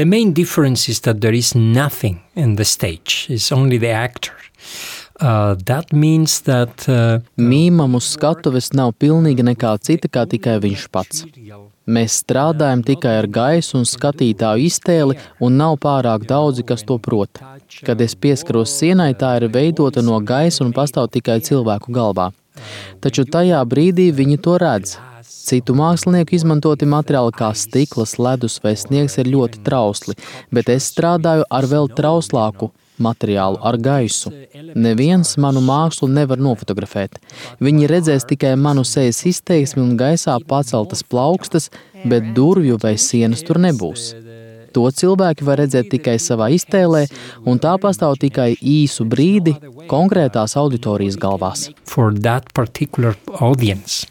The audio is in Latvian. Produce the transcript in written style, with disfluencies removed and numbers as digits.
The main difference is that there is nothing in the stage. It's only the actor. That means that Mīmam uz skatuves nav pilnīgi nekā cita, kā tikai viņš pats. Mēs strādājam tikai ar gaisu un skatītāju iztēli, un nav pārāk daudzi, kas to prot. Kad es pieskaros sienai, tā ir veidota no gaisa un pastāv tikai cilvēku galvā. Taču tajā brīdī viņi to redz. Citu mākslinieku izmantoti materiāli kā stikls, ledus vai sniegs ir ļoti trausli, bet es strādāju ar vēl trauslāku materiālu, ar gaisu. Neviens manu mākslu nevar nofotografēt. Viņi redzēs tikai manu sejas izteiksmi un gaisā paceltas plaukstas, bet durvju vai sienas tur nebūs. To cilvēki var redzēt tikai savā iztēlē, un tā pastāv tikai īsu brīdi konkrētās auditorijas galvās. For that particular audience.